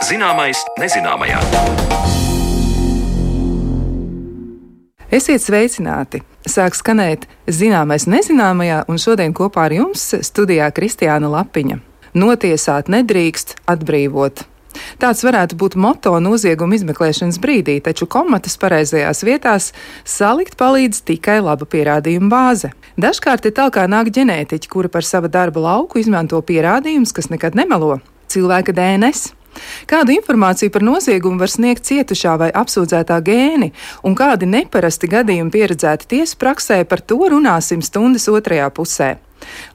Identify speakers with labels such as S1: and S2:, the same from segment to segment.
S1: Zināmais nezināmajā.
S2: Esiet sveicināti! Sāk skanēt Zināmais nezināmajā, un šodien kopā ar jums studijā Kristiāna Lapiņa. Notiesāt nedrīkst, atbrīvot. Tāds varētu būt moto nozieguma izmeklēšanas brīdī, taču komatas pareizajās vietās salikt palīdz tikai laba pierādījuma bāze. Dažkārt ir tā, kā nāk ģenētiķi, kuri par sava darba lauku izmanto pierādījumus, kas nekad nemelo - cilvēka DNS. Kādu informāciju par noziegumu var sniegt cietušā vai apsūdzētā gēni, un kādi neparasti gadījumi pieredzēti tiesas praksē, par to runāsim stundas otrajā pusē.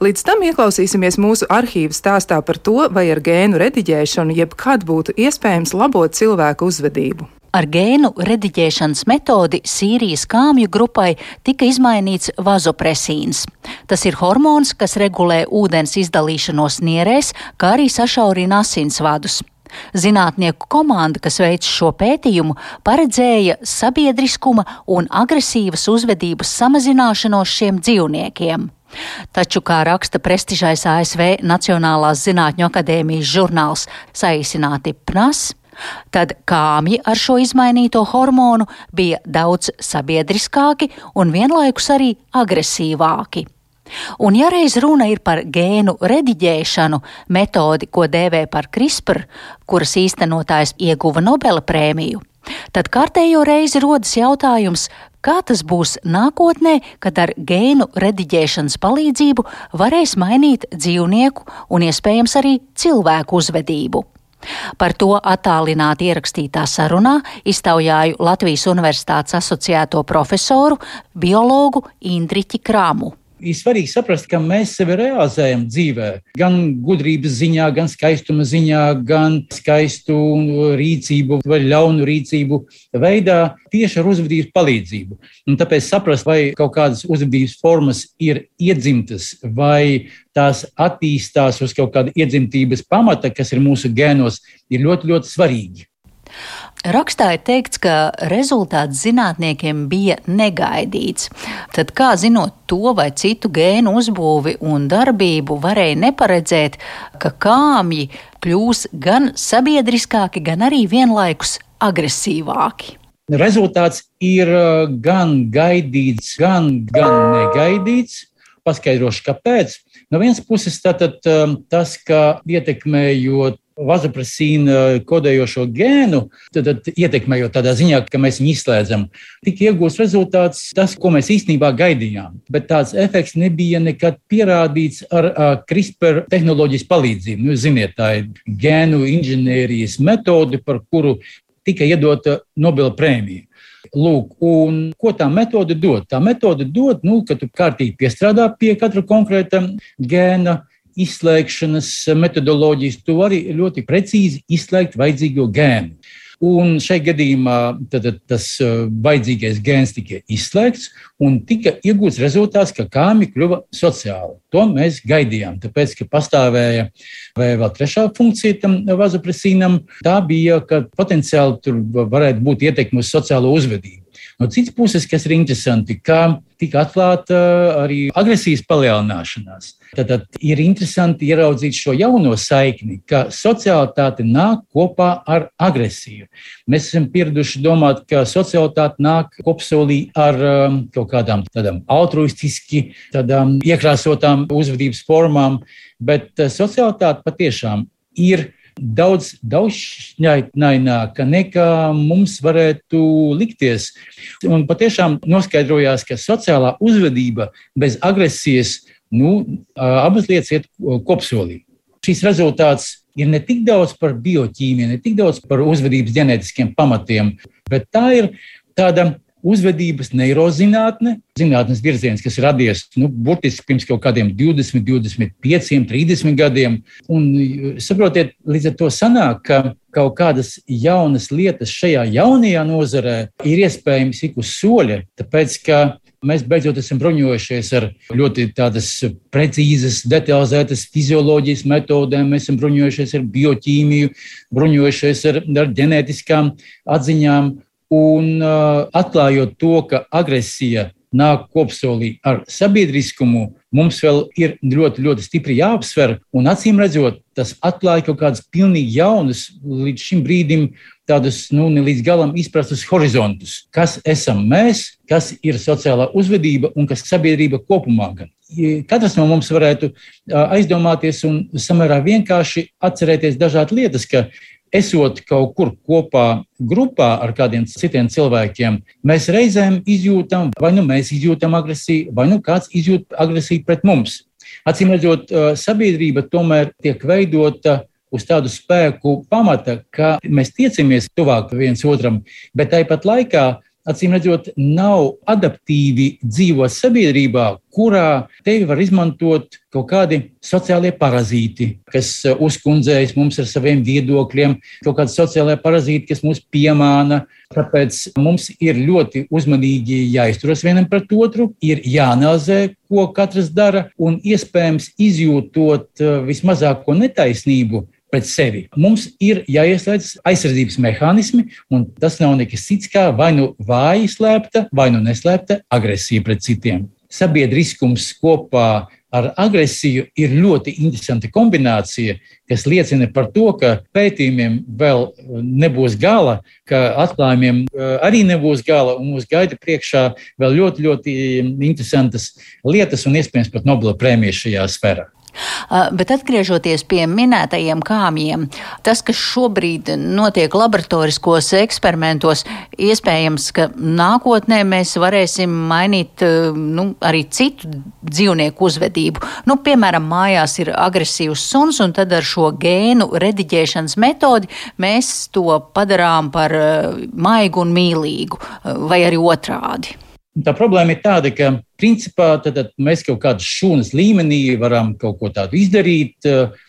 S2: Līdz tam ieklausīsimies mūsu arhīva stāstā par to, vai ar gēnu rediģēšanu jebkad būtu iespējams labot cilvēku uzvedību.
S3: Ar gēnu rediģēšanas metodi Sīrijas kāmju grupai tika izmainīts vazopresīns. Tas ir hormons, kas regulē ūdens izdalīšanos nierēs, kā arī sašaurina asinsvadus. Zinātnieku komanda, kas veica šo pētījumu, paredzēja sabiedriskuma un agresīvas uzvedības samazināšanos šiem dzīvniekiem. Taču, kā raksta prestižais ASV Nacionālās zinātņu akadēmijas žurnāls, saīsināti PNAS, tad kāmji ar šo izmainīto hormonu bija daudz sabiedriskāki un vienlaikus arī agresīvāki. Un ja reiz runa ir par gēnu rediģēšanu, metodi, ko dēvē par CRISPR, kuras īstenotājs ieguva Nobela prēmiju, tad kārtējo reizi rodas jautājums, kā tas būs nākotnē, kad ar gēnu rediģēšanas palīdzību varēs mainīt dzīvnieku un iespējams arī cilvēku uzvedību. Par to attālināti ierakstītā sarunā iztaujāju Latvijas Universitātes asociēto profesoru, biologu Indriķi Kramu.
S4: Ir svarīgi saprast, ka mēs sevi realizējam dzīvē, gan gudrības ziņā, gan skaistuma ziņā, gan skaistu rīcību vai ļaunu rīcību veidā tieši ar uzvedības palīdzību. Un tāpēc saprast, vai kaut kādas uzvedības formas ir iedzimtas vai tās attīstās uz kaut kāda iedzimtības pamata, kas ir mūsu gēnos, ir ļoti, ļoti svarīgi.
S3: Rakstā ir teikts, ka rezultāts zinātniekiem bija negaidīts. Tad kā zinot to vai citu gēnu uzbūvi un darbību varēja neparedzēt, ka kāmji kļūs gan sabiedriskāki, gan arī vienlaikus agresīvāki?
S4: Rezultāts ir gan gaidīts, gan negaidīts. Paskaidrošu, kāpēc. No vienas puses tātad tas, ka ietekmējot vazopresīna kodējošo gēnu, tad ietekmējot tādā ziņā, ka mēs viņu izslēdzam, tika iegūts rezultāts tas, ko mēs īstenībā gaidījām. Bet tāds efekts nebija nekad pierādīts ar CRISPR tehnoloģijas palīdzību. Jūs ziniet, tā ir gēnu inženierijas metode, par kuru tika iedota Nobela prēmija. Lūk, un ko tā metode dod? Tā metode dod, ka tu kārtīgi piestrādā pie katra konkrēta gēna izslēgšanas metodoloģijas, tu vari ļoti precīzi izslēgt vajadzīgo gēnu. Un šai gadījumā tas vajadzīgais gēns tika izslēgts un tika iegūts rezultāts, ka kāmji kļuva sociāli. To mēs gaidījām, tāpēc, ka pastāvēja vēl trešā funkcija tam vazopresīnam. Tā bija, ka potenciāli tur varētu būt ietekme uz sociālo uzvedību. No citas puses, kas ir interesanti, ka tika atklāta arī agresijas palielināšanās. Tad ir interesanti ieraudzīt šo jauno saikni, ka socialitāte nāk kopā ar agresiju. Mēs esam pieraduši domāt, ka socialitāte nāk kopsolī ar kaut kādām tādām altruistiski, tādām iekrāsotām uzvedības formām, bet socialitāte patiešām ir daudz daudzšķaitnaināka nekā mums varētu likties. Un patiešām noskaidrojās, ka sociālā uzvedība bez agresijas abas lietas iet kopsolī. Šīs rezultāts ir ne tik daudz par bioķīmiju, ne tik daudz par uzvedības ģenētiskiem pamatiem, bet tā ir tāda uzvedības neirozinātne, zinātnes virziens, kas ir radies burtiski pirms kaut kādiem 20, 25, 30 gadiem. Un saprotiet, līdz ar to sanāk, ka kaut kādas jaunas lietas šajā jaunajā nozarē ir iespējams ik uz soļa, tāpēc, ka mēs beidzot esam bruņojušies ar ļoti tādas precīzas, detalizētas fizioloģijas metodēm, mēs esam bruņojušies ar bioķīmiju, bruņojušies ar ģenētiskām atziņām. Un atklājot to, ka agresija nāk kopsolī ar sabiedriskumu, mums vēl ir ļoti, ļoti stipri jāapsver, un acīm redzot, tas atklāja kaut kādas pilnīgi jaunas, līdz šim brīdim tādus, ne līdz galam izprastus horizontus. Kas esam mēs, kas ir sociālā uzvedība un kas sabiedrība kopumā gan. Katrs no mums varētu aizdomāties un samērā vienkārši atcerēties dažādas lietas, ka esot kaut kur kopā grupā ar kādiem citiem cilvēkiem, mēs reizēm izjūtam, vai mēs izjūtam agresiju, vai kāds izjūt agresiju pret mums. Acīm redzot, sabiedrība tomēr tiek veidota uz tādu spēku pamata, ka mēs tiecamies tuvāk viens otram, bet tāpat laikā, acīm redzot, nav adaptīvi dzīvot sabiedrībā, kurā tevi var izmantot kaut kādi sociālie parazīti, kas uzkundzējas mums ar saviem viedokļiem, kaut kādi sociālie parazīti, kas mūs piemāna. Tāpēc mums ir ļoti uzmanīgi jāizturas vienam pret otru, ir jāanalizē, ko katrs dara, un iespējams izjūtot vismazāko netaisnību pret sevi. Mums ir jāieslēdz aizsardzības mehānismi, un tas nav nekas cits kā vai vāji slēpta, vai neslēpta agresija pret citiem. Sabiedriskums kopā ar agresiju ir ļoti interesanta kombinācija, kas liecina par to, ka pētījumiem vēl nebūs gala, ka atklājumiem arī nebūs gala, un mūs gaida priekšā vēl ļoti, ļoti interesantas lietas un iespējams pat Nobela prēmijas šajā sfērā.
S3: Bet atgriežoties pie minētajiem kāmjiem, tas, kas šobrīd notiek laboratoriskos eksperimentos, iespējams, ka nākotnē mēs varēsim mainīt arī citu dzīvnieku uzvedību. Piemēram, mājās ir agresīvs suns, un tad ar šo gēnu rediģēšanas metodi mēs to padarām par maigu un mīlīgu, vai arī otrādi.
S4: Tā problēma ir tāda, ka principā tad mēs kaut kādas šūnas līmenī varam kaut ko tādu izdarīt,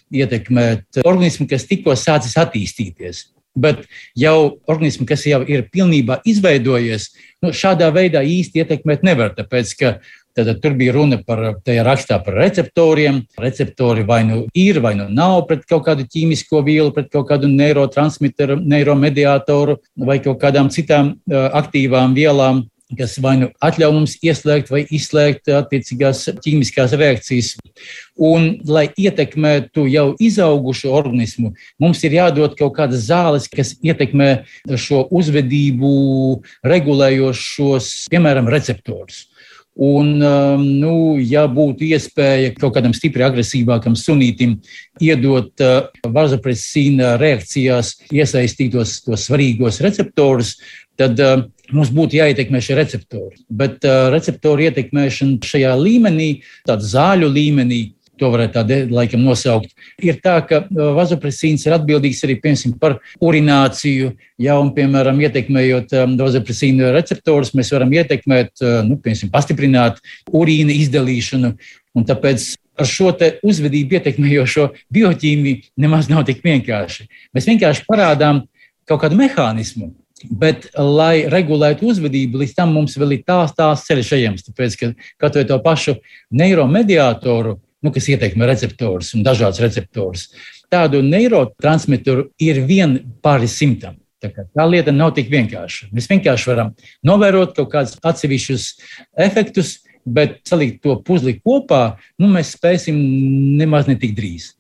S4: ietekmēt organismu, kas tikko sācis attīstīties. Bet jau organismu, kas jau ir pilnībā izveidojies, šādā veidā īsti ietekmēt nevar, tāpēc ka tur bija runa par, tajā rakstā par receptoriem. Receptori vai ir, vai nav pret kaut kādu ķīmisko vielu, pret kaut kādu neurotransmiteru, neiromediātoru vai kaut kādām citām aktīvām vielām, kas vai atļauj mums ieslēgt vai izslēgt attiecīgās ķīmiskās reakcijas. Un, lai ietekmētu jau izaugušu organismu, mums ir jādod kaut kādas zāles, kas ietekmē šo uzvedību regulējošos, piemēram, receptorus. Un, ja būtu iespēja kaut kādam stipri agresīvākam sunītim iedot vazopresīna reakcijās iesaistītos tos svarīgos receptorus, tad mums būtu jāietekmē šie receptori. Bet receptoru ietekmēšana šajā līmenī, tāda zāļu līmenī, to varētu tādu laikam nosaukt, ir tā, ka vazopresīns ir atbildīgs arī, piemēram, par urināciju. Ja, un, piemēram, ietekmējot vazopresīna receptorus, mēs varam ietekmēt, piemēram, pastiprināt urīna izdalīšanu. Un tāpēc ar šo te uzvedību ietekmējošo bioķīmiju nemaz nav tik vienkārši. Mēs vienkārši parādām kaut kādu mehānismu. Bet, lai regulētu uzvedību, līdz tam mums vēl ir tās ceļš ejams, tāpēc, ka kaut vai to pašu neiromediātoru, kas ietekmē receptorus un dažādas receptorus, tādu neurotransmiteru ir vien pāri 100. Tā lieta nav tik vienkārša. Mēs vienkārši varam novērot kaut kādus atsevišķus efektus, bet salikt to puzli kopā, mēs spēsim nemaz ne tik drīz.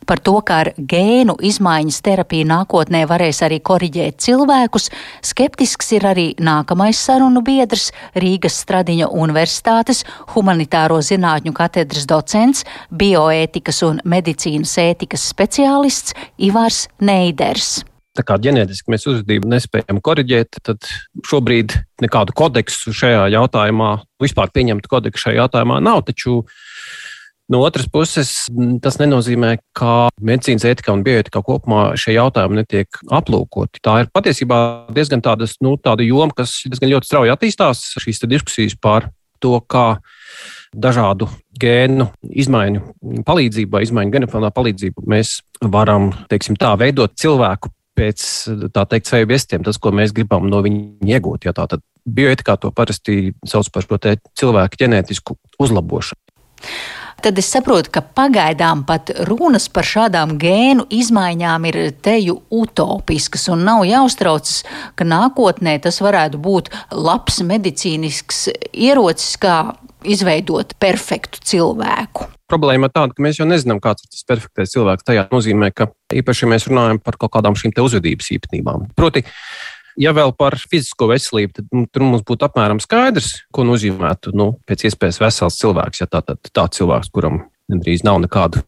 S3: Par to, kā ar gēnu izmaiņas terapiju nākotnē varēs arī koriģēt cilvēkus, skeptisks ir arī nākamais sarunu biedrs, Rīgas Stradiņa Universitātes humanitāro zinātņu katedras docents, bioētikas un medicīnas ētikas speciālists Ivars Neiders.
S1: Tā kā ģenētiski mēs uzvedību nespējam koriģēt, tad šobrīd nekādu kodeksu šajā jautājumā, vispār pieņemtu kodeksu šajā jautājumā nav, taču no otras puses, tas nenozīmē, ka medicīnas ētika un bioētika kopumā šie jautājumi netiek aplūkoti. Tā ir patiesībā diezgan tāda joma, kas diezgan ļoti strauji attīstās. Šīs diskusijas par to, kā dažādu gēnu izmaiņu palīdzību vai izmaiņu genofondā palīdzību mēs varam, veidot cilvēku pēc, sevi viestiem, tas, ko mēs gribam no viņa iegūt. Ja tātad bioētikā to parasti sauc par šo cilvēku ģenētisku uzlabošanu.
S3: Tad es saprotu, ka pagaidām pat runas par šādām gēnu izmaiņām ir teju utopiskas un nav jāuztraucas, ka nākotnē tas varētu būt labs medicīnisks ierocis, kā izveidot perfektu cilvēku.
S1: Problēma ir tāda, ka mēs jau nezinām, kāds ir tas perfektais cilvēks. Tajā nozīmē, ka īpaši, ja mēs runājam par kaut kādām šīm te uzvedības īpatnībām. Proti, ja vēl par fizisko veselību, tad tur mums būtu apmēram skaidrs, ko nozīmētu pēc iespējas vesels cilvēks, ja tāds cilvēks, kuram gandrīz nav nekādu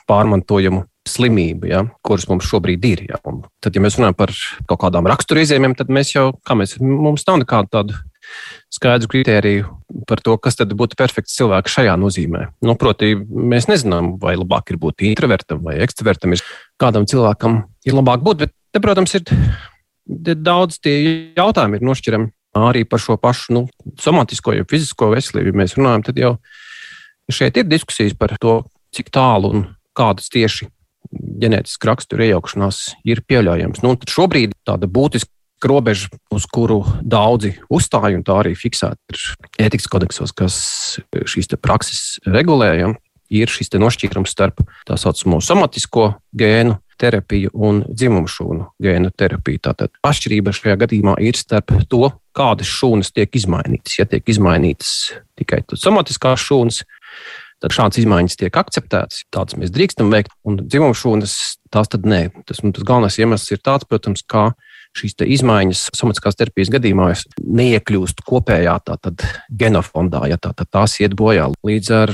S1: pārmantojumu slimību, ja, kuras mums šobrīd ir. Ja. Un tad, ja mēs runājam par kaut kādām raksturizējumiem, tad mums nav nekādu tādu skaidru kritēriju par to, kas tad būtu perfekts cilvēks šajā nozīmē. Proti, mēs nezinām, vai labāk ir būt introvertam vai ekstravertam. Kādam cilvēkam ir labāk būt, bet te, protams, ir daudz tie jautājumi ir nošķirami arī par šo pašu somatisko, ja fizisko veselību. Ja mēs runājam, tad jau šeit ir diskusijas par to, cik tālu un kādas tieši ģenētiski rakstura iejaukšanās ir pieļaujams. Tad šobrīd tāda būtiska robeža, uz kuru daudzi uzstāj, un tā arī fiksēta ir ētikas kodeksos, kas šīs te prakses regulē, ir šis te nošķīrums starp tā saucamo somatisko gēnu terapiju un dzimumu šūnu gēnu terapiju. Tātad atšķirība šajā gadījumā ir starp to, kādas šūnas tiek izmainītas. Ja tiek izmainītas tikai somatiskās šūnas, tad šādas izmaiņas tiek akceptētas, tādas mēs drīkstam veikt, un dzimumu šūnas tās tad nē. Tas galvenais iemesls ir tāds, protams, kā šīs te izmaiņas somatiskās terapijas gadījumā neiekļūst kopējā tātad genofondā, ja tās iet bojā līdz ar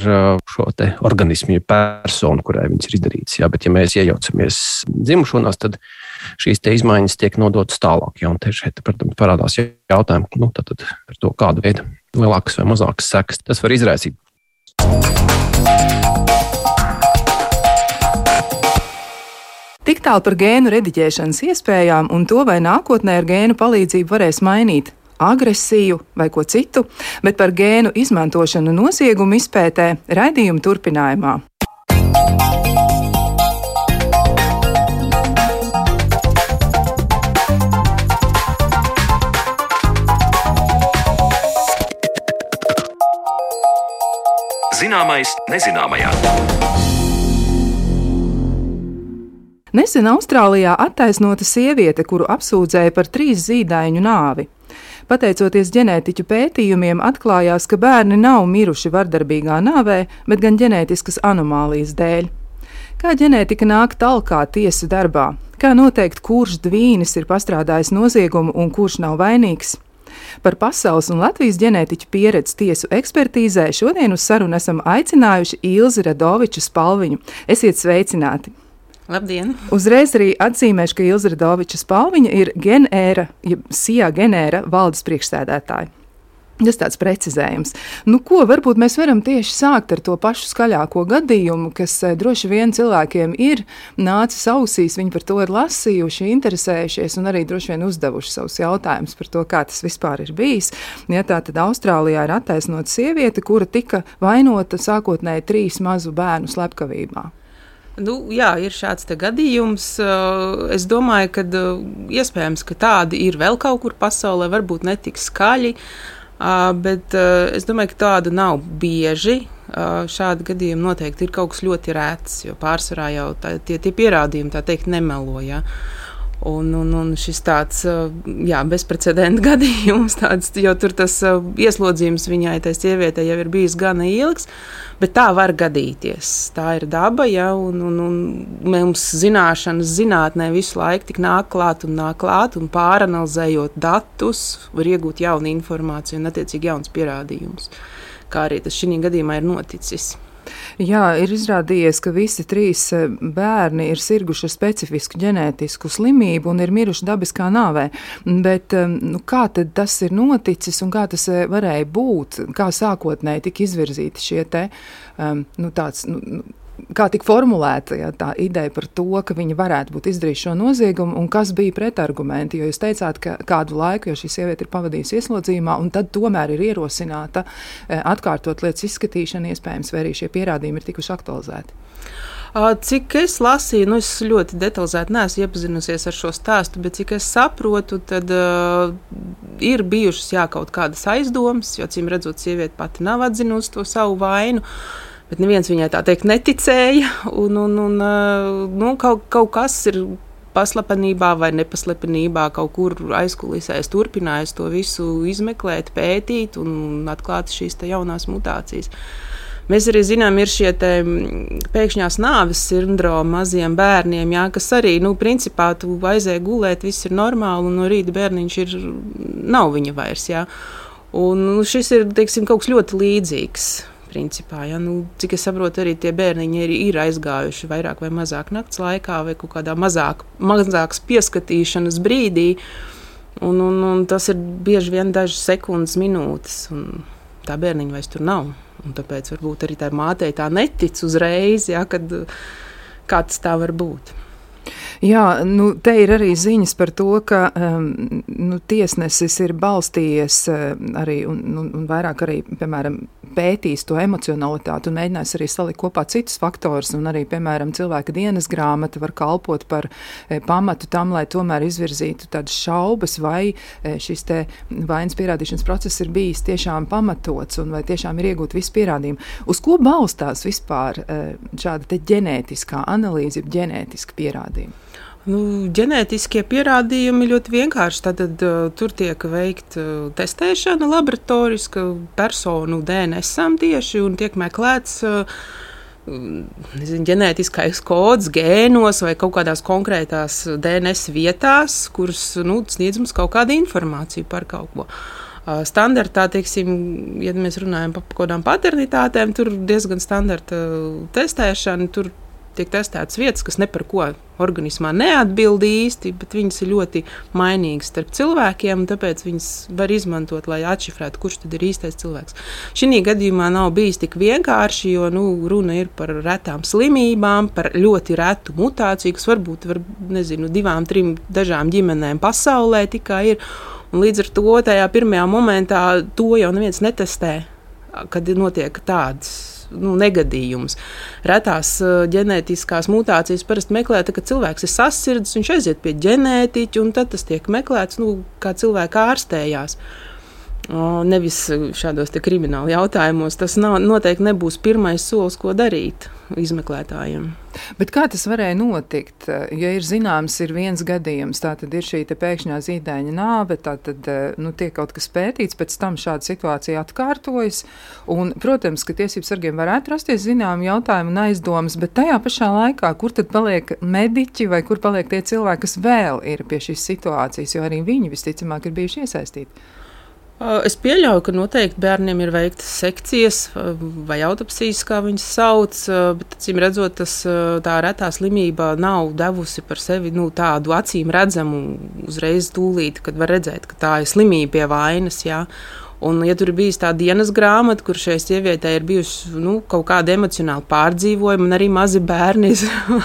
S1: šo te organismu personu, kurai viņas ir izdarītas. Ja, bet ja mēs iejaucamies dzimumu šūnās, tad šīs te izmaiņas tiek nodotas tālāk. Ja, un te šeit, protams, parādās jautājumi, tātad par to, kādu veidu lielākas vai mazākas sekas tas var izraisīt.
S2: Tik tālu par gēnu rediģēšanas iespējām un to, vai nākotnē ar gēnu palīdzību varēs mainīt agresiju vai ko citu, bet par gēnu izmantošanu noziegumu izpētē raidījuma turpinājumā.
S5: Zināmais nezināmajā.
S2: Nesen Austrālijā attaisnota sieviete, kuru apsūdzēja par 3 zīdaiņu nāvi. Pateicoties ģenētiķu pētījumiem, atklājās, ka bērni nav miruši vardarbīgā nāvē, bet gan ģenētiskas anomālijas dēļ. Kā ģenētika nāk talkā tiesu darbā? Kā noteikt, kurš dvīnis ir pastrādājis noziegumu un kurš nav vainīgs? Par pasaules un Latvijas ģenētiķu pieredzi tiesu ekspertīzē šodien uz sarunu esam aicinājuši Ilzi Radoviču Spalviņu. Esiet sveicināti!
S6: Labdien!
S2: Uzreiz arī atzīmēšu, ka Ilza Radoviča Spalviņa ir Genēra, SIA Genēra valdes priekšsēdētāja. Tas tāds precizējums. Ko varbūt mēs varam tieši sākt ar to pašu skaļāko gadījumu, kas droši vien cilvēkiem ir nācis ausīs, viņi par to ir lasījuši, interesējušies un arī droši vien uzdevuši savus jautājumus par to, kā tas vispār ir bijis. Ja tā tad Austrālijā ir attaisnota sieviete, kura tika vainota sākotnēji 3 mazu bērnu slepkavībā.
S6: Jā, ir šāds gadījums. Es domāju, ka iespējams, ka tādi ir vēl kaut kur pasaulē, varbūt ne tik skaļi, bet es domāju, ka tāda nav bieži. Šādi gadījumi noteikti ir kaut kas ļoti rēts, jo pārsvarā jau tie pierādījumi, tā teikt, nemelo. Ja? Un šis tāds bezprecedenta gadījums, jo tur tas ieslodzījums viņai, tai sievietei, jau ir bijis gana ilgs, bet tā var gadīties. Tā ir daba, ja, un mums zināšanas zinātnē visu laiku tik nāk klāt, un pāranalizējot datus, var iegūt jaunu informāciju un attiecīgi jauns pierādījumus, kā arī tas šī gadījumā ir noticis.
S2: Jā, ir izrādījies, ka visi 3 bērni ir sirguši specifisku ģenētisku slimību un ir miruši dabiskā nāvē. Bet kā tad tas ir noticis un kā tas varēja būt? Kā sākotnēji tika izvirzīti šie te kā tika formulēta tā ideja par to, ka viņi varētu būt izdarījuši šo noziegumu un kas bija pretargumenti, jo jūs teicāt, ka kādu laiku, jo šī sieviete ir pavadījusi ieslodzījumā un tad tomēr ir ierosināta atkārtot lietas izskatīšanu, iespējams, vai arī šie pierādījumi ir tikuši aktualizēti.
S6: Cik es lasīju, es ļoti detalizēti neesmu iepazinusies ar šo stāstu, bet cik es saprotu, tad ir bijušas kaut kādas aizdomas, jo, acīm redzot, sieviete pati nav atzinusi to savu vainu. Bet neviens viņai tā teikt neticēja, un kaut kas ir paslepenībā vai nepaslepenībā kaut kur aizkulisēs turpinājis to visu izmeklēt, pētīt un atklāt šīs te jaunās mutācijas. Mēs arī zinām, ir šie te pēkšņās nāves sindromi maziem bērniem, jā, kas arī, principā tu aizēji gulēt, viss ir normāli, un no rīta bērniņš nav viņa vairs, jā. Un šis ir, teiksim, kaut kas ļoti līdzīgs, principā, jā. Cik es saprotu, arī tie bērniņi ir aizgājuši vairāk vai mazāk nakts laikā vai kaut kādā mazāks pieskatīšanas brīdī, un tas ir bieži vien dažas sekundes, minūtes, un tā bērniņa vairs tur nav. Un tāpēc varbūt arī tā mātei tā netic uzreiz, ja, kā tas tā var būt.
S2: Jā, te ir arī ziņas par to, ka tiesnesis ir balstījies arī un vairāk arī, piemēram, pētīs to emocionalitāti un mēģinās arī salikt kopā citus faktorus, un arī, piemēram, cilvēka dienas grāmata var kalpot par pamatu tam, lai tomēr izvirzītu tādas šaubas, vai šis te vainas pierādīšanas process ir bijis tiešām pamatots un vai tiešām ir iegūt visu pierādījumu. Uz ko balstās vispār šāda te ģenētiskā analīze, ģenētiska pierādījuma?
S6: Ģenētiskie pierādījumi ļoti vienkārši. Tad tur tiek veikta testēšana laboratoriska personu DNS-am tieši un tiek meklēts ģenētiskais kods gēnos vai kaut kādās konkrētās DNS vietās, kuras sniedz mums kaut kādu informāciju par kaut ko. Standartā, teiksim, ja mēs runājam par kaut kādām paternitātēm, tur diezgan standarta testēšana, tur tiek testētas vietas, kas ne par ko organismā neatbild īsti, bet viņas ir ļoti mainīgas starp cilvēkiem, un tāpēc viņas var izmantot, lai atšifrētu, kurš tad ir īstais cilvēks. Šī gadījumā nav bijis tik vienkārši, jo runa ir par retām slimībām, par ļoti retu mutāciju, kas varbūt 2, 3 dažām ģimenēm pasaulē tikai ir. Un līdz ar to tajā pirmajā momentā to jau neviens netestē, kad notiek tādas negadījums. Retās ģenētiskās mutācijas parasti meklē, kad cilvēks ir sasirdzis, viņš aiziet pie ģenētiķa, un tad tas tiek meklēts, kā cilvēka ārstējās. Nevis šādos te krimināla jautājumos. Tas noteikti nebūs pirmais solis, ko darīt izmeklētājiem.
S2: Bet kā tas varēja notikt? Ja ir zināms, ir viens gadījums, tā tad ir šī te pēkšņā zīdaiņa nāve, tā tad tiek kaut kas pētīts, pēc tam šāda situācija atkārtojas, un, protams, ka tiesību sargiem varētu rasties zinām jautājumu un aizdomas, bet tajā pašā laikā, kur tad paliek mediķi vai kur paliek tie cilvēki, kas vēl ir pie šīs situācijas, jo arī viņi visticamāk ir bijuši iesaistīti?
S6: Es pieļauju, ka noteikti bērniem ir veiktas sekcijas vai autopsijas, kā viņas sauc, bet, acīm redzot, tā retā slimība nav devusi par sevi tādu acīm redzamu uzreiz tūlīt, kad var redzēt, ka tā ir slimība pie vainas, jā. Un, ja tur ir bijis tā dienas grāmata, kur šai sievietei ir bijusi kaut kāda emocionāla pārdzīvojuma, un arī mazi bērni,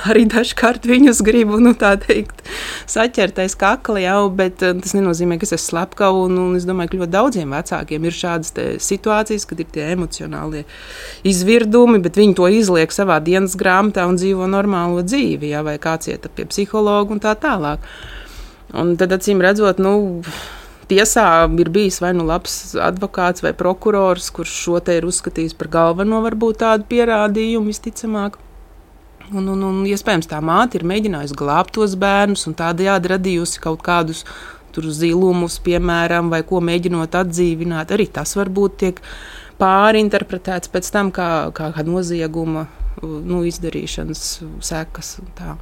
S6: arī dažkārt viņus gribu, tā teikt, saķertais kakli jau, bet tas nenozīmē, ka es esmu slepkava, un es domāju, ka ļoti daudziem vecākiem ir šādas situācijas, kad ir tie emocionālie izvirdumi, bet viņi to izliek savā dienas grāmatā un dzīvo normālo dzīvi, jā, vai kāds iet pie psihologa un tā tālāk. Un tad, acīm redzot, tiesā ir bijis vai labs advokāts vai prokurors, kurš šo te ir uzskatījis par galveno varbūt tādu pierādījumu visticamāk. Un iespējams tā māte ir mēģinājusi glābt tos bērnus un tādējādi radījusi kaut kādus tur zilumus, piemēram, vai ko mēģinot atdzīvināt. Arī tas varbūt tiek pārinterpretēts pēc tam kā nozieguma izdarīšanas sekas un tā.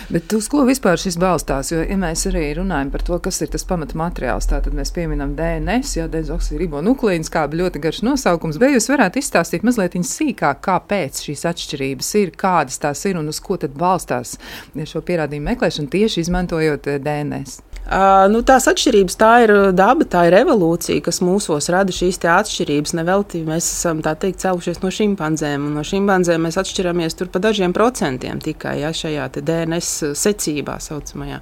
S2: Bet uz ko vispār šis balstās? Jo, ja mēs arī runājam par to, kas ir tas pamata materiāls, tātad mēs pieminam DNS, dezoksiribonukleīns, kā ļoti garš nosaukums, bet jūs varētu izstāstīt mazliet sīkāk, kāpēc šīs atšķirības ir, kādas tās ir un uz ko tad balstās šo pierādījumu meklēšanu tieši izmantojot DNS?
S6: Tās atšķirības, tā ir daba, tā ir evolūcija, kas mūsos rada šīs te atšķirības. Nevelti mēs esam, tā teikt, cēlušies no šimpanzēm, un no šimpanzēm mēs atšķiramies tur pa dažiem procentiem tikai, šajā te DNS secībā saucamajā.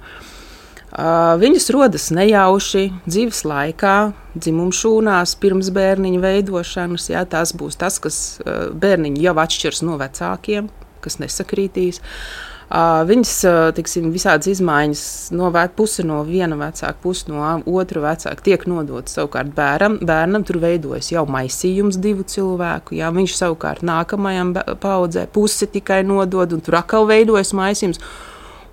S6: Viņas rodas nejauši dzīves laikā, dzimumšūnās, pirms bērniņa veidošanas, tās būs tas, kas bērniņi jau atšķirs no vecākiem, kas nesakrītīs. Viņas, tiksim, visādas izmaiņas puse no viena vecāka, puse no otra vecāka tiek nodota savukārt bērnam. Tur veidojas jau maisījums divu cilvēku. Jā, viņš savukārt nākamajam paudzē pusi tikai nodod, un tur atkal veidojas maisījums.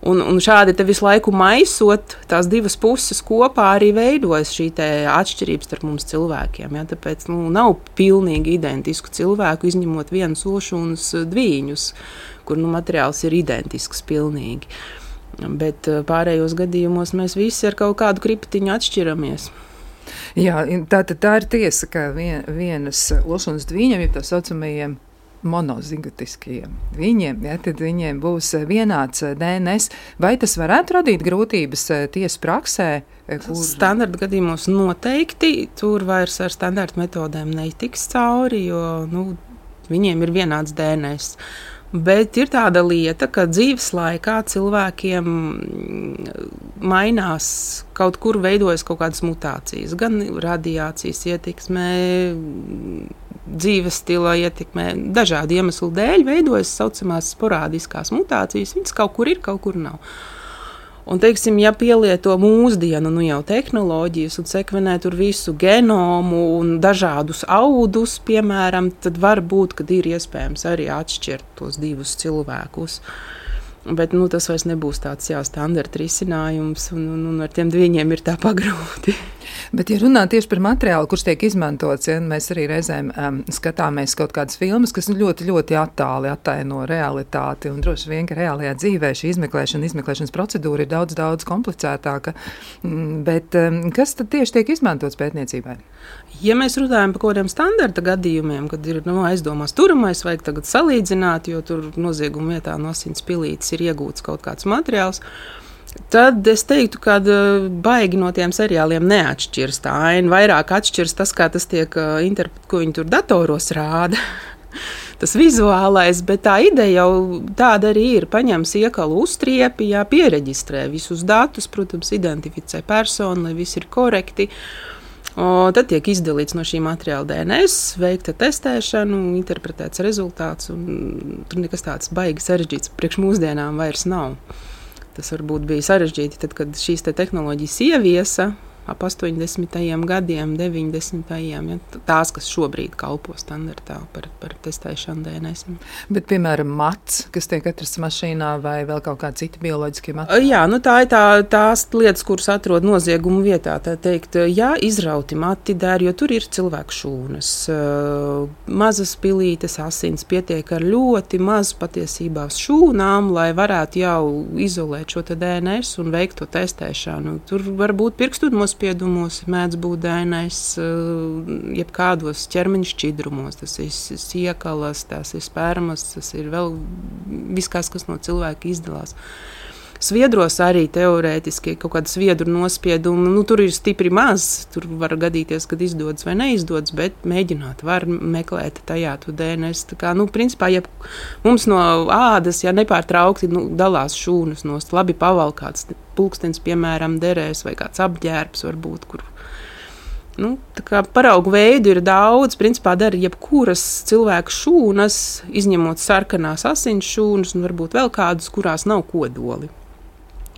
S6: Un šādi te visu laiku maisot, tās divas puses kopā arī veidojas šī atšķirības starp mums cilvēkiem. Ja? Tāpēc nav pilnīgi identisku cilvēku, izņemot vienus ošūnus dvīņus, kur materiāls ir identisks pilnīgi. Bet pārējos gadījumos mēs visi ar kaut kādu kriptiņu atšķiramies.
S2: Jā, tā ir tiesa, ka vienas ošūnas dvīņiem, ja tā saucamajiem monozigotiskiem tad viņiem būs vienāds DNS. Vai tas varētu radīt grūtības tiesas praksē?
S6: Standarta gadījumos noteikti. Tur vairs ar standarta metodēm netiks cauri, jo viņiem ir vienāds DNS. Bet ir tāda lieta, ka dzīves laikā cilvēkiem mainās, kaut kur veidojas kaut kādas mutācijas, gan radiācijas ietekmē, dzīves stila ietekmē, dažādu iemeslu dēļ veidojas saucamās sporādiskās mutācijas. Viņas kaut kur ir, kaut kur nav. Un, teiksim, ja pielieto mūsdienu jau tehnoloģijas un sekvenē tur visu genomu un dažādus audus, piemēram, tad var būt, ka ir iespējams arī atšķirt tos divus cilvēkus. Bet tas vairs nebūs tāds standarta risinājums, un ar tiem dviņiem ir tā pagrūti.
S2: Bet, ja runā tieši par materiālu, kurš tiek izmantots, mēs arī reizēm skatāmies kaut kādas filmas, kas ļoti, ļoti attāli attaino realitāti, un droši vien, ka reālajā dzīvē šī izmeklēšanas procedūra ir daudz, daudz komplicētāka. Bet kas tad tieši tiek izmantots pētniecībai?
S6: Ja mēs runājam par kaut kādiem standarta gadījumiem, kad ir aizdomās turamais, vajag tagad salīdzināt, jo tur nozieguma vietā no asins pilītes ir iegūts kaut kāds materiāls, tad es teiktu, ka baigi no tiem seriāliem neatšķirs tā aina. Vairāk atšķirs tas, kā tas tiek interpretēts, ko viņi tur datoros rāda. Tas vizuālais, bet tā ideja jau tāda arī ir. Paņems iekalu uztriepi, piereģistrē visus datus, protams, identificē personu, lai viss ir korekti. Tad tiek izdalīts no šī materiāla DNS, veikta testēšana, interpretēts rezultāts, un tur nekas tāds baigi sarežģīts priekš mūsdienām vairs nav. Tas varbūt bija sarežģīti, tad, kad šīs tehnoloģijas ieviesa ap 80. gadiem, 90. Tās, kas šobrīd kalpo standartā par testēšanu DNS. Bet,
S2: piemēram, mats, kas tiek atrasts mašīnā, vai vēl kaut kādi citi bioloģiskie materiāli?
S6: Jā, tā ir tās lietas, kuras atrod noziegumu vietā. Tā teikt, izrauti mati der, jo tur ir cilvēku šūnas. Mazas pilītes asins pietiek ar ļoti mazu patiesībā šūnām, lai varētu jau izolēt šo DNS un veikt to testēšanu. Tur var būt pirkstu nospiedumos, mēdz būt DNS, jebkādos ķermeņa šķidrumos. Tas ir siekalas, tas ir spermas, tas ir vēl viss, kas no cilvēka izdalās. Sviedros arī teorētiski kaut kāda sviedru nospieduma. Tur ir stipri maz, tur var gadīties, kad izdodas vai neizdodas, bet mēģināt var meklēt tajā to DNS. Tā kā, principā, ja mums no ādas, nepārtraukti dalās šūnas nost, labi pavalkāts pulkstenis, piemēram, derēs vai kāds apģērbs varbūt, kur. Tā kā paraugu veidu ir daudz, principā dara jebkuras cilvēku šūnas, izņemot sarkanās asins šūnas un varbūt vēl kādus, kurās nav kodoli,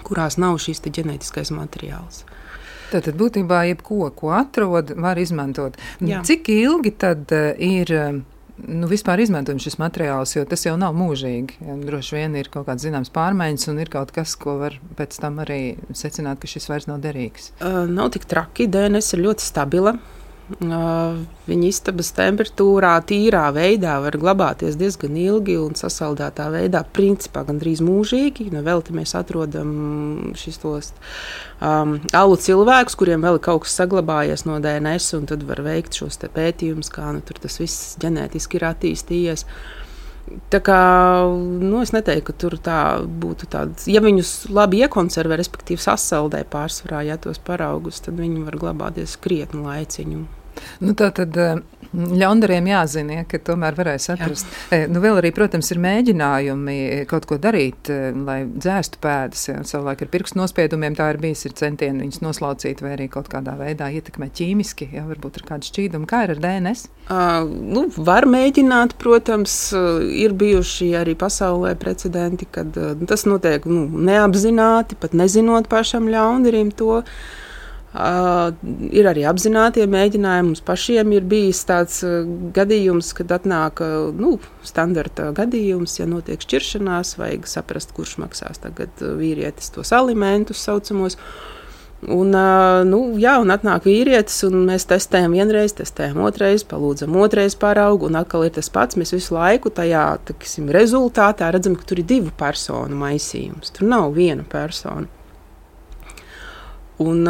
S6: kurās nav šis ģenētiskais materiāls.
S2: Tātad būtībā jebko, ko atrod, var izmantot. Jā. Cik ilgi tad ir vispār izmantojams šis materiāls, jo tas jau nav mūžīgi. Droši vien ir kaut kāds zināms pārmaiņas un ir kaut kas, ko var pēc tam arī secināt, ka šis vairs nav derīgs.
S6: Nav tik traki, DNS ir ļoti stabila. Viņa istabas temperatūrā, tīrā veidā var glabāties diezgan ilgi un sasaldētā veidā, principā gandrīz mūžīgi. Vēl te mēs atrodam šis tos alu cilvēkus, kuriem vēl kaut kas saglabājies no DNS, un tad var veikt šos pētījumus, kā tur tas viss ģenētiski ir attīstījies. Tā kā, es neteiktu, ka tur tā būtu tāds, ja viņus labi iekonservē, respektīvi sasaldē pārsvarā, tos paraugus, tad viņi var glabāties krietnu laiciņu.
S2: Tā tad ļaundariem jāzina, ka tomēr varēs atrast. Vēl arī, protams, ir mēģinājumi kaut ko darīt, lai dzēstu pēdas. Savulaik ar pirkstu nospiedumiem tā ir bijis, ir centieni viņus noslaucīt vai arī kaut kādā veidā ietekmēt ķīmiski, varbūt ar kādu šķīdumu. Kā ir ar DNS?
S6: Var mēģināt, protams, ir bijuši arī pasaulē precedenti, kad tas notiek neapzināti, pat nezinot pašam ļaundarim to. Ir arī apzinātie mēģinājumi. Mums pašiem ir bijis tāds gadījums, kad atnāk standarta gadījums, ja notiek šķiršanās, vajag saprast, kurš maksās tagad vīrietis tos alimentus saucamos. Un atnāk vīrietis, un mēs testējam vienreiz, testējam otrais, palūdzam otrais paraugu, un atkal ir tas pats. Mēs visu laiku tajā rezultātā redzam, ka tur ir 2 personu maisījums. Tur nav viena persona. Un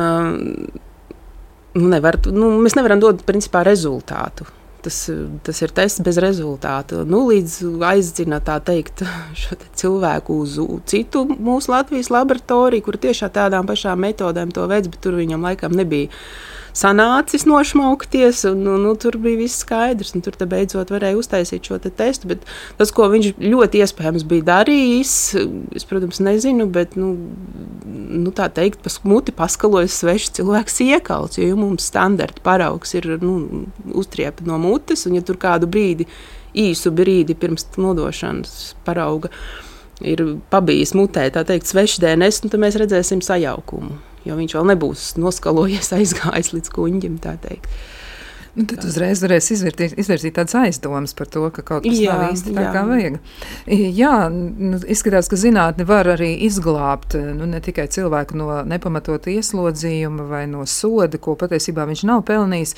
S6: mēs nevaram dot principā rezultātu. Tas ir tests bez rezultātu. Līdz aizdzina tā teikt šo cilvēku uz citu mūsu Latvijas laboratoriju, kur tiešām tādām pašām metodēm to veids, bet tur viņam laikam nebija sanācis nošmaukties, un tur bija viss skaidrs, un tur beidzot varēja uztaisīt šo testu, bet tas, ko viņš ļoti iespējams bija darījis, es, protams, nezinu, bet, tā teikt, muti paskalojas svešs cilvēks iekalts, jo mums standarta paraugs ir, uztriepa no mutes, un ja tur kādu īsu brīdi pirms nodošanas parauga ir pabijis mutē, tā teikt, svešs DNS, tad mēs redzēsim sajaukumu. Jo viņš vēl nebūs noskalojies, aizgājis līdz kuņģim, tā teikt.
S2: Tad uzreiz varēs izvirzīt tādas aizdomas par to, ka kaut kas nav īsti tā, kā vajag. Izskatās, ka zinātne var arī izglābt ne tikai cilvēku no nepamatota ieslodzījuma vai no soda, ko patiesībā viņš nav pelnījis,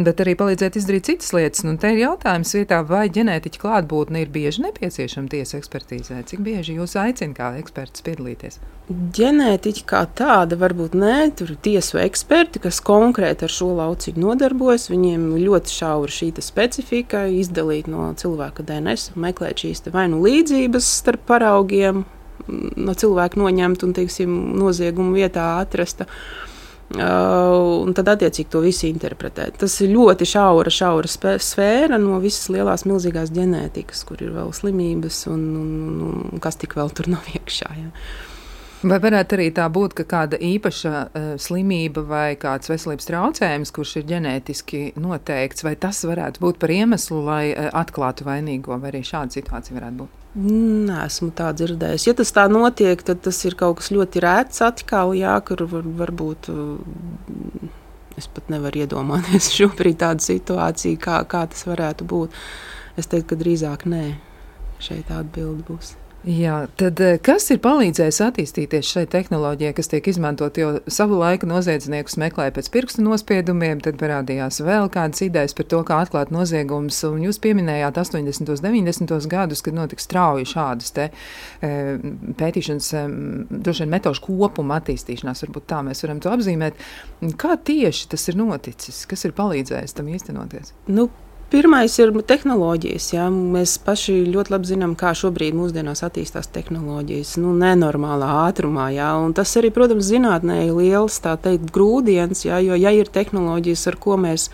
S2: bet arī palīdzēt izdarīt citas lietas. Te ir jautājums vietā, vai ģenētiķa klātbūtne ir bieži nepieciešama tiesa ekspertīzē? Cik bieži jūs aicina kā eksperts piedalīties?
S6: Ģenētiķi kā tāda varbūt nē, tur ir tiesu eksperti, kas konkrēti ar šo lauciņu nodarbojas. Viņiem ļoti šaura šī specifika, izdalīt no cilvēka DNS, meklēt šīs vai līdzības starp paraugiem, no cilvēka noņemt un, noziegumu vietā atrasta. Un tad attiecīgi to visu interpretēt. Tas ir ļoti šaura sfēra no visas lielās milzīgās ģenētikas, kur ir vēl slimības un kas tik vēl tur nav iekšā. Ja.
S2: Vai varētu arī tā būt, ka kāda īpaša slimība vai kāds veselības traucējums, kurš ir ģenētiski noteikts, vai tas varētu būt par iemeslu, lai atklātu vainīgo, vai arī šāda situācija varētu būt?
S6: Neesmu tā dzirdējis. Ja tas tā notiek, tad tas ir kaut kas ļoti rēts atkal, kur varbūt es pat nevaru iedomāties šobrīd tādu situāciju, kā tas varētu būt. Es teiktu, ka drīzāk nē, šeit atbilde būs.
S2: Jā, tad kas ir palīdzējis attīstīties šai tehnoloģijai, kas tiek izmantot, jo savu laiku noziedzniekus meklēja pēc pirkstu nospiedumiem, tad parādījās vēl kādas idejas par to, kā atklāt noziegumus, un jūs pieminējāt 80. 90. gadus, kad notika strauji šādas pētīšanas, droši vien metožu kopuma attīstīšanās, varbūt tā mēs varam to apzīmēt. Kā tieši tas ir noticis? Kas ir palīdzējis tam īstenoties?
S6: Pirmais ir tehnoloģijas. Ja? Mēs paši ļoti labi zinām, kā šobrīd mūsdienās attīstās tehnoloģijas. Nenormālā ātrumā. Ja? Un tas arī, protams, zinātnē ir liels, tā teikt, grūdiens. Ja? Jo, ja ir tehnoloģijas, ar ko mēs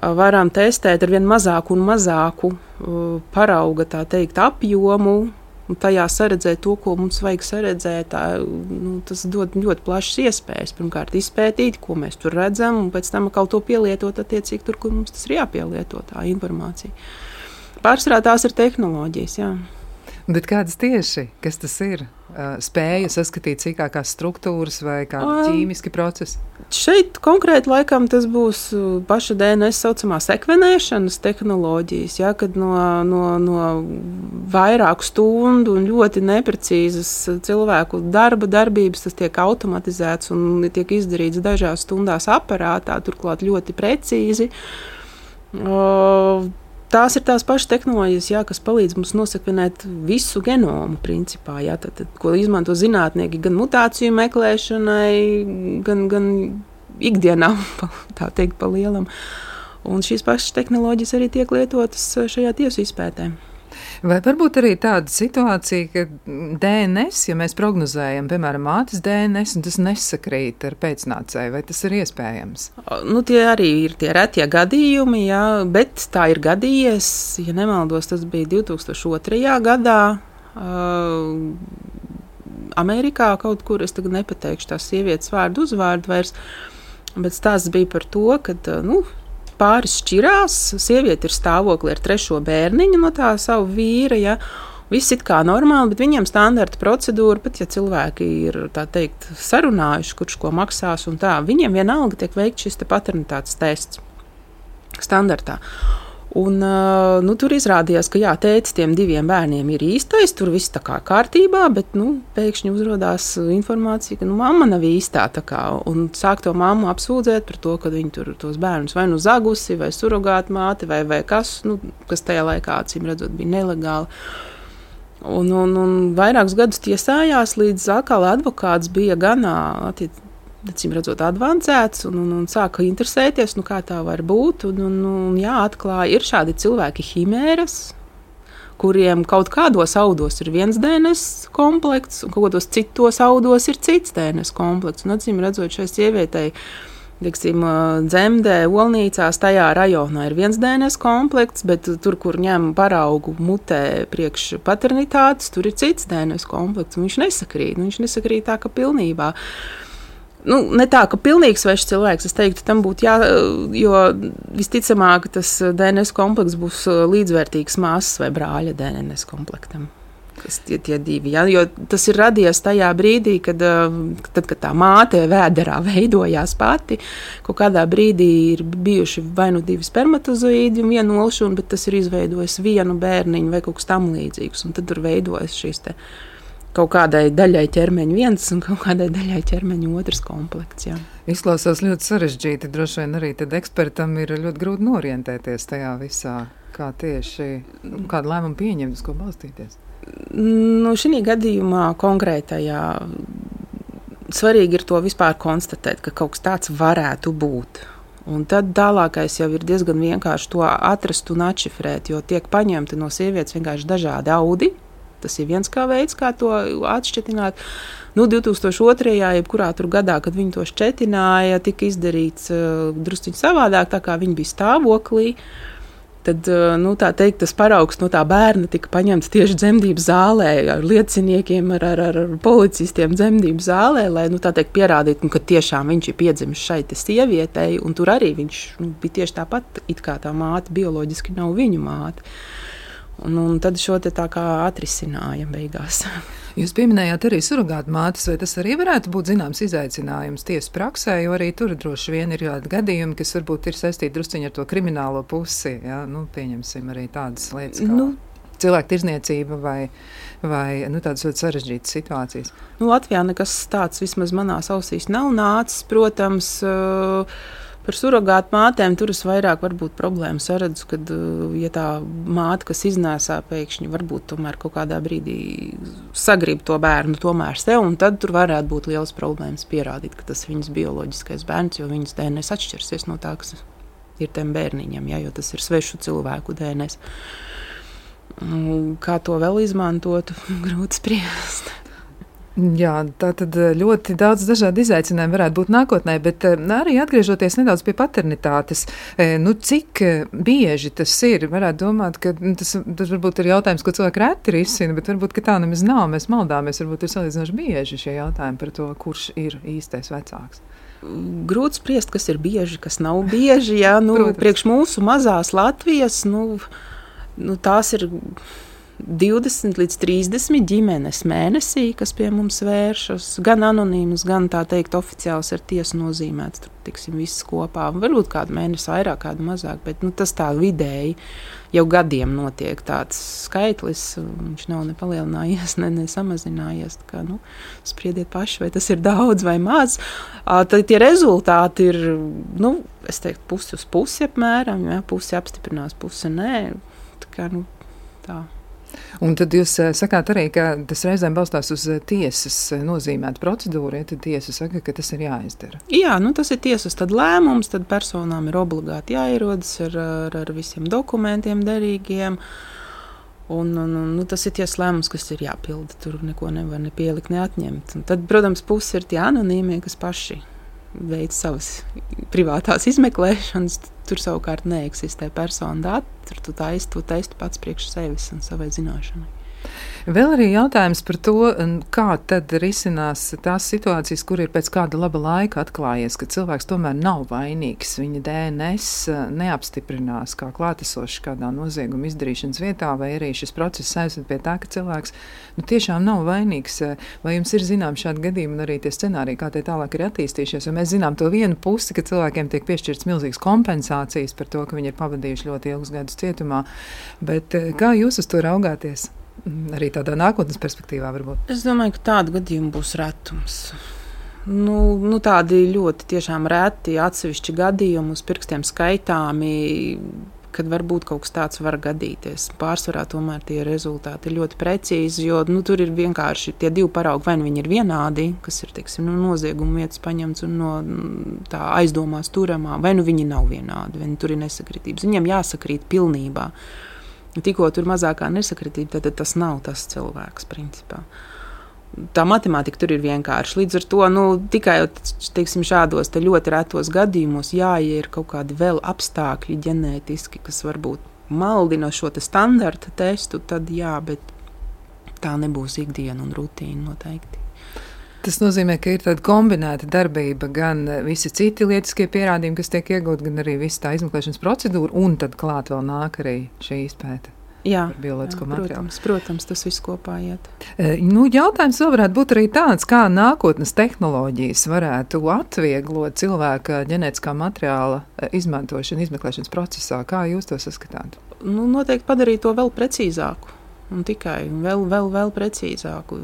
S6: varam testēt ar vien mazāku un mazāku parauga, tā teikt, apjomu, un tajā saredzēt to, ko mums vajag saredzēt, tas dod ļoti plašas iespējas. Pirmkārt, izpētīt, ko mēs tur redzam, un pēc tam atkal to pielietot attiecīgi tur, kur mums tas ir jāpielieto, tā informācija. Pārsvarā tās ir tehnoloģijas, jā.
S2: Bet kādas tieši? Kas tas ir? Spēja saskatīt sīkākās struktūras vai kādi ķīmiski procesi?
S6: Šeit konkrēti laikam tas būs paša DNS saucamā sekvenēšanas tehnoloģijas, ja, kad no vairāku stundu un ļoti neprecīzas cilvēku darbības tas tiek automatizēts un tiek izdarīts dažās stundās aparātā, turklāt ļoti precīzi. Tās ir tās pašas tehnoloģijas, jā, kas palīdz mums nosekvenēt visu genomu, principā, jā, tad, ko izmanto zinātnieki gan mutāciju meklēšanai, gan ikdienā, tā teikt, pa lielam. Un šīs pašas tehnoloģijas arī tiek lietotas šajā tiesu izpētē.
S2: Vai varbūt arī tāda situācija, ka DNS, ja mēs prognozējam, piemēram, mātes DNS, un tas nesakrīt ar pēcnācēju, vai tas ir iespējams?
S6: Nu, tie arī ir tie retie gadījumi, jā, bet tā ir gadījies, ja nemaldos, tas bija 2002. gadā. Amerikā kaut kur, es tagad nepateikšu tās sievietes vārdu uzvārdu vairs, bet stāsts bija par to, ka, pāris šķirās, sieviete ir stāvoklī ar 3. bērniņu no tā savu vīra, ja, viss it kā normāli, bet viņiem standarta procedūra, pat ja cilvēki ir, tā teikt, sarunājuši, kurš ko maksās un tā, viņiem vienalga tiek veikt šis te paternitātes tests standartā. Un, tur izrādījās, ka jā, tētis tiem 2 bērniem ir īstais, tur viss tā kā kārtībā, bet pēkšņi uzrodās informācija, ka mamma nav īstā. Un sāk to mammu apsūdzēt par to, ka viņi tur tos bērnus vai zagusi, vai surogāta māte, vai kas, kas tajā laikā, acīm redzot, bija nelegāli. Un vairākus gadus tiesājās, līdz atkal advokāts bija ganā acīm redzot, advancēts un sāka interesēties, kā tā var būt. Jā, atklāja, ir šādi cilvēki himēras, kuriem kaut kādos audos ir viens DNS komplekts, un kaut kādos citos audos ir cits DNS komplekts. Un acīm redzot, šai sievietei, Dzemdē, Olnīcās, tajā rajonā ir viens DNS komplekts, bet tur, kur ņem paraugu mutē priekš paternitātes, tur ir cits DNS komplekts, un viņš nesakrīt tā, ka pilnībā. Ne tā, ka pilnīgs svešs cilvēks, es teiktu, tam būtu jo visticamāk tas DNS komplekts būs līdzvērtīgs māsas vai brāļa DNS komplektam. Tie 2, ja? Jo tas ir radies tajā brīdī, kad tā māte vēderā veidojās pati, kaut kādā brīdī ir bijuši vai 2 spermatozoīdi un 1 olšūna, bet tas ir izveidojis 1 bērniņu vai kaut kas tam līdzīgs, un tad tur veidojas šīs te kaut kādai daļai ķermeņa 1 un kaut kādai daļai ķermeņa 2 komplekts. Jā.
S2: Izklausās ļoti sarežģīti. Droši vien arī tad ekspertam ir ļoti grūti norientēties tajā visā, kā tieši kādu lēmumu pieņemt, uz ko balstīties.
S6: Šī gadījumā konkrētajā svarīgi ir to vispār konstatēt, ka kaut kas tāds varētu būt. Un tad tālākais jau ir diezgan vienkārši to atrast un atšifrēt, jo tiek paņemti no sievietes vienkārši dažādi audi. Tas ir viens veids, kā to atšķetināt. 2002. jebkurā tur gadā, kad viņi to šķetināja, tika izdarīts drusciņi savādāk, tā kā viņi bija stāvoklī. Tad, tā teikt, tas paraugs no tā bērna tika paņemts tieši dzemdību zālē ar lieciniekiem, ar policistiem dzemdību zālē, lai, tā teikt, pierādītu, ka tiešām viņš ir piedzimis šai te sievietei, un tur arī viņš bija tieši tāpat, it kā tā māte bioloģiski nav viņu māte. Un tad šo te tā kā atrisināja beigās.
S2: Jūs pieminējāt arī surogātu mātes, vai tas arī varētu būt zināms izaicinājums tiesas praksē, jo arī tur droši vien ir kādi gadījumi, kas varbūt ir saistīti drusciņi ar to kriminālo pusi. Ja? Pieņemsim arī tādas lietas kā cilvēku tirzniecība vai tādas ļoti sarežģītas situācijas.
S6: Latvijā nekas tāds vismaz manās ausīs nav nācis, protams. Par surogātu mātēm tur es vairāk varbūt problēmu saredzu, kad, ja tā māte, kas iznēsā pēkšņi, varbūt tomēr kaut kādā brīdī sagrib to bērnu tomēr sev, un tad tur varētu būt liels problēmas pierādīt, ka tas ir viņas bioloģiskais bērns, jo viņas DNS atšķirsies no tā, kas ir tiem bērniņam, jo tas ir svešu cilvēku DNS. Kā to vēl izmantot, grūti spriest.
S2: Jā, tā tad ļoti daudz dažādu izaicinājumu varētu būt nākotnē, bet arī atgriežoties nedaudz pie paternitātes, cik bieži tas ir, varētu domāt, ka tas varbūt ir jautājums, ko cilvēki reti risina, bet varbūt, ka tā nemaz nav, mēs maldāmies, varbūt ir salīdzinoši bieži šie jautājumi par to, kurš ir īstais vecāks.
S6: Grūti spriest, kas ir bieži, kas nav bieži, priekš mūsu mazās Latvijas, tās ir 20 līdz 30 ģimenes mēnesī, kas pie mums vēršas, gan anonīmas, gan tā teikt oficiāls ar tiesu nozīmēts, tur tiksim viss kopā. Varbūt kādu mēnesi vairāk, kādu mazāk, bet tas tā vidēji jau gadiem notiek tāds skaitlis, viņš nav ne palielinājies, ne samazinājies, tā kā, spriediet paši, vai tas ir daudz vai maz. Tad tie rezultāti ir, es teiktu, pusi uz pusi apmēram, pusi apstiprinās, pusi nē, tā kā, tā.
S2: Un tad jūs sakāt arī, ka tas reizēm balstās uz tiesas nozīmētu procedūru, tad tiesa saka, ka tas ir jāizdara.
S6: Jā, tas ir tiesas tad lēmums, tad personām ir obligāti jāierodas ar visiem dokumentiem derīgiem. Un tas ir ties lēmums, kas ir jāpilda. Tur neko nevar ne pielikt, ne atņemt. Un tad, protams, puse ir tie anonīmie, kas paši veic savas privātās izmeklēšanas. Tur savukārt neeksistē persona dati. Tur tu taisti pats priekš sevis un savai zināšanai.
S2: Vēl arī jautājums par to, kā tad risinās tās situācijas, kur ir pēc kāda laba laika atklājies, ka cilvēks tomēr nav vainīgs. Viņa DNS neapstiprinās kā klātesošs kādā nozieguma izdarīšanas vietā, vai arī šis process aizved pie tā, ka cilvēks tiešām nav vainīgs. Vai jums ir zinām šādi gadījumi un arī tie scenāriji, kā tie tālāk ir attīstījušies? Jo mēs zinām to vienu pusi, ka cilvēkiem tiek piešķirts milzīgas kompensācijas par to, ka viņi ir pavadījuši ļoti ilgus gadus cietumā. Bet kā jūs uz to raugāties? Arī tādā nākotnes perspektīvā varbūt.
S6: Es domāju, ka tādu gadījumu būs retums. Tādi ļoti tiešām reti atsevišķi gadījumi uz pirkstiem skaitāmi, kad varbūt kaut kas tāds var gadīties. Pārsvarā tomēr tie rezultāti ir ļoti precīzi, jo tur ir vienkārši tie divi paraugi, vai nu viņi ir vienādi, kas ir, teiksim, nozieguma vietas paņemts un no tā aizdomās turamā, vai nu viņi nav vienādi, vai nu tur ir nesakritības. Viņiem jāsakrīt pilnībā. Tikko tur mazākā nesakritība, tad tas nav tas cilvēks, principā. Tā matemātika tur ir vienkārši. Līdz ar to, tikai, teiksim, šādos te ļoti retos gadījumos, ja ir kaut kādi vēl apstākļi ģenētiski, kas varbūt maldina šo te standarta testu, tad jā, bet tā nebūs ikdiena un rutīna noteikti.
S2: Tas nozīmē, ka ir tāda kombinēta darbība, gan visi citi lietiskie pierādījumi, kas tiek iegūti, gan arī visa tā izmeklēšanas procedūra, un tad klāt vēl nāk arī šī izpēta.
S6: Jā,
S2: bioloģisko materiālu.
S6: Protams, tas viss kopā iet.
S2: Jautājums vēl varētu būt arī tāds, kā nākotnes tehnoloģijas varētu atvieglot cilvēka ģenētiskā materiāla izmantošanu izmeklēšanas procesā. Kā jūs to saskatāt?
S6: Noteikti padarīt to vēl precīzāku. Un tikai vēl precīzāku.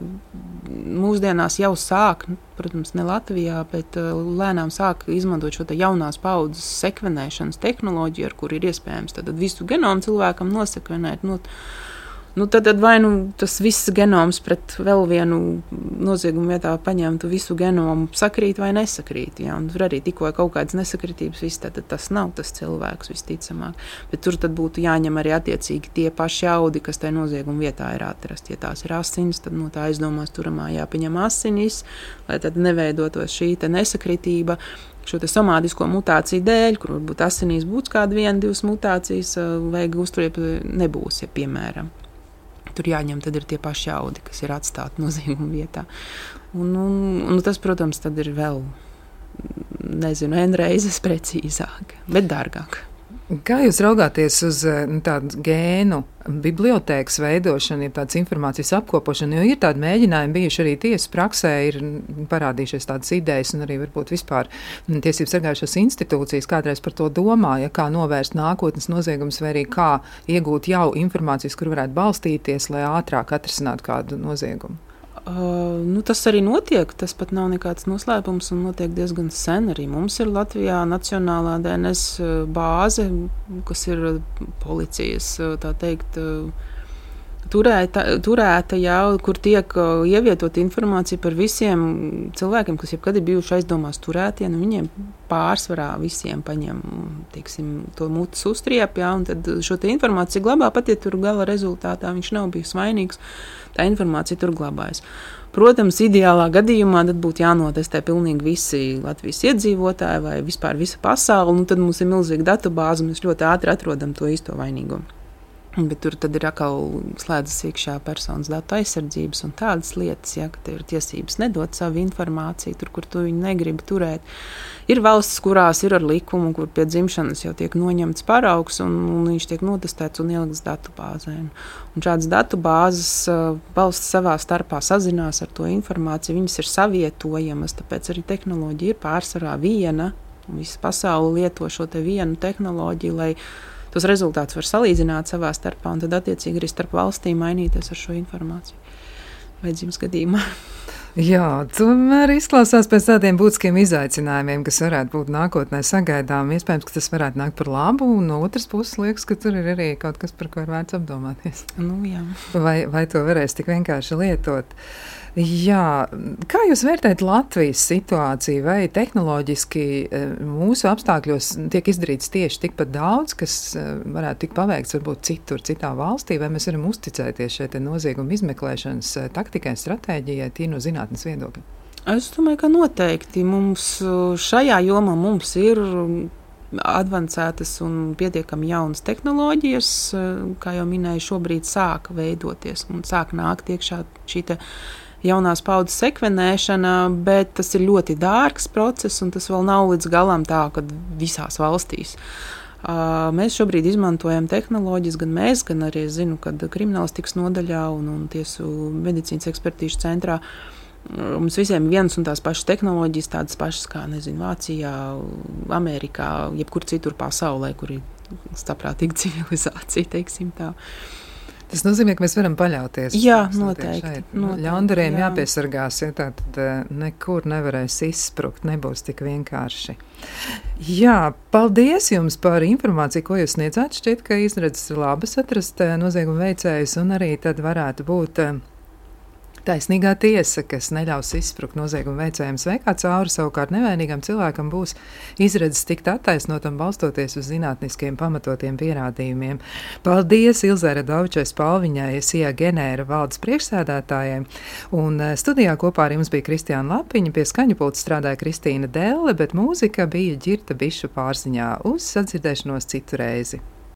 S6: Mūsdienās jau sāk, protams, ne Latvijā, bet lēnām sāk izmantot šo jaunās paudzes sekvenēšanas tehnoloģiju, ar kur ir iespējams tad visu genomu cilvēkam nosekvenēt. Tad vai tas viss genoms pret vēl vienu noziegumu vietā paņemtu visu genomu sakrīt vai nesakrīt. Ja? Un tur arī tikko kaut kādas nesakritības, tad tas nav tas cilvēks visticamāk. Bet tur tad būtu jāņem arī attiecīgi tie paši audi, kas tajā nozieguma vietā ir atrasti. Ja tās ir asinis, tad no tā aizdomās turamā jāpaņem asinis, lai tad neveidotos šī nesakritība. Šo te somātisko mutāciju dēļ, kur varbūt asinīs būs kāda 1-2 mutācijas, vajag uzturēt nebūs, ja piemēram. Tur jāņem tad ir tie paši audi, kas ir atstāti nozieguma vietā. Un tas, protams, tad ir vēl, N reizes precīzāk, bet dārgāk.
S2: Kā jūs raugāties uz tādu gēnu bibliotēkas veidošanu, ja tādas informācijas apkopošanu, jo ir tādi mēģinājumi bijuši arī tiesas praksē, ir parādījušies tādas idejas un arī varbūt vispār tiesības sargājušās institūcijas kādreiz par to domā, ja kā novērst nākotnes noziegumus vai arī kā iegūt jau informācijas, kur varētu balstīties, lai ātrāk atrisinātu kādu noziegumu.
S6: Tas arī notiek, tas pat nav nekāds noslēpums un notiek diezgan sen arī. Mums ir Latvijā nacionālā DNS bāze, kas ir policijas, tā teikt, turēta, jā, kur tiek ievietot informācija par visiem cilvēkiem, kas jebkad ir bijuši aizdomās turētie, viņiem pārsvarā visiem paņem, teiksim, to mutes uztriep, jā, un tad šo te informāciju glabā, pat ja tur gala rezultātā viņš nav bijis vainīgs, tā informācija tur glabājas. Protams, ideālā gadījumā tad būtu jānotestē pilnīgi visi Latvijas iedzīvotāji vai vispār visa pasaule, un tad mums ir milzīga datubāze, un mēs ļoti ātri atrodam to īsto vainīgo. Bet tur tad ir atkal slēdzas iekšā personas datu aizsardzības un tādas lietas, ja, ka tev ir tiesības nedot savu informāciju, tur, kur tu viņu negribi turēt. Ir valstis, kurās ir ar likumu, kur pie dzimšanas jau tiek noņemts paraugs un viņš tiek notestēts un ielikts datubāzē. Un šādas datubāzes valsts savā starpā sazinās ar to informāciju, viņas ir savietojamas, tāpēc arī tehnoloģija ir pārsvarā viena. Visa pasaule lieto šo te vienu tehnoloģiju, lai tos rezultātus var salīdzināt savā starpā un tad attiecīgi arī starp valstīm mainīties ar šo informāciju vajadzības gadījumā.
S2: Jā, tomēr izklausās pēc tādiem būtiskiem izaicinājumiem, kas varētu būt nākotnē sagaidām. Iespējams, ka tas varētu nākt par labu, un no otras puses liekas, ka tur ir arī kaut kas, par ko ir vērts apdomāties.
S6: Nu, jā.
S2: Vai to varēs tik vienkārši lietot? Jā, kā jūs vērtējat Latvijas situāciju, vai tehnoloģiski mūsu apstākļos tiek izdarīts tieši tikpat daudz, kas varētu tikt paveikts varbūt citur, citā valstī, vai mēs varam uzticēties šeit nozieguma izmeklēšanas taktikai, stratēģijai, tie no zinātnes viedokļa?
S6: Es domāju, ka noteikti mums šajā jomā mums ir advancētas un pietiekami jaunas tehnoloģijas, kā jau minēju, šobrīd sāk veidoties un sāk nākt iekšā šī jaunās paudzes sekvenēšana, bet tas ir ļoti dārgs process, un tas vēl nav līdz galam tā, kad visās valstīs. Mēs šobrīd izmantojam tehnoloģijas, gan mēs, gan arī es zinu, kad kriminālistikas nodaļā un tiesu medicīnas ekspertīšu centrā mums visiem ir vienas un tās pašas tehnoloģijas, tādas pašas kā, nezinu, Vācijā, Amerikā, jebkur citur pasaulē, kur ir saprātīga civilizācija, teiksim tā.
S2: Tas nozīmē, ka mēs varam paļauties.
S6: Jā, noteikti.
S2: Ļaundariem jāpiesargās, ja tā tad nekur nevarēs izsprukt, nebūs tik vienkārši. Jā, paldies jums par informāciju, ko jūs sniedzāt. Šķiet, ka izredzes ir labas atrast nozieguma veicējus, un arī tad varētu būt taisnīgā tiesa, kas neļaus izsprukt nozieguma veicējiem sveikā cauri, savukārt nevainīgam cilvēkam būs izredzes tikt attaisnotam balstoties uz zinātniskiem pamatotiem pierādījumiem. Paldies Ilzei Radovičai Spalviņai, SIA Genēra valdes priekšsēdētājai, un studijā kopā ar jums bija Kristiāna Lapiņa, pie skaņu pulta strādāja Kristīna Delle, bet mūzika bija Ģirta Bišu pārziņā. Uz sadzirdēšanos citu reizi.